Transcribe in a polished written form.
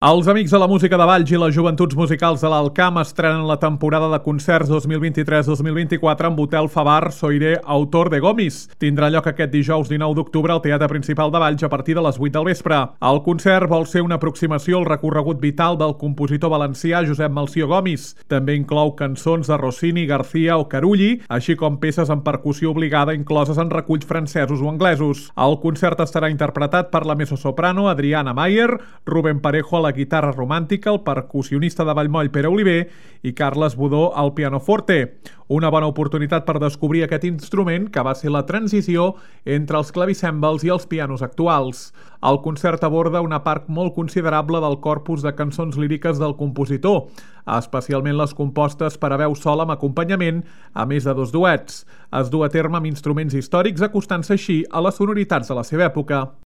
Els Amics de la Música de Valls i les Joventuts Musicals de l'Alcamp estrenen la temporada de concerts 2023-2024 amb Hotel Favar Soirée Autor de Gomis. Tindrà lloc aquest dijous 19 d'octubre al Teatre Principal de Valls a partir de les 8 del vespre. El concert vol ser una aproximació al recorregut vital del compositor valencià Josep Melcior Gomis. També inclou cançons de Rossini, García o Carulli, així com peces en percussió obligada incloses en reculls francesos o anglesos. El concert estarà interpretat per la mezzosoprano Adriana Mayer, Rubén Parejo a la guitarra romàntica, el percussionista de Vallmoll Pere Oliver i Carles Budó al pianoforte. Una bona oportunitat per descobrir aquest instrument que va ser la transició entre els clavicèmbals i els pianos actuals. El concert aborda una part molt considerable del corpus de cançons líriques del compositor, especialment les compostes per a veu sola amb acompanyament, a més de 2 duets. Es du a terme amb instruments històrics, acostant-se així a les sonoritats de la seva època.